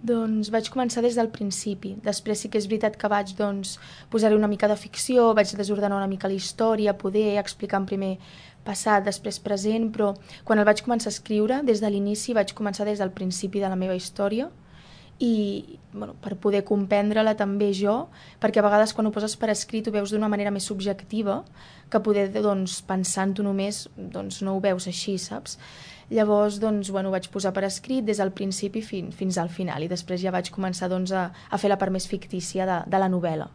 Doncs vaig començar des del principi. Després sí que és veritat que vaig posar-hi una mica de ficció, vaig desordenar una mica la història, poder explicar en primer passat, després present, però quan el vaig començar a escriure, des de l'inici vaig començar des del principi de la meva història i per poder comprendre-la també jo, perquè a vegades quan ho poses per escrit ho veus d'una manera més subjectiva que poder pensant-ho només no ho veus així, saps? Llavors ho vaig posar per escrit des del principi fins al final i després ja vaig començar a fer la part més fictícia de la novel·la.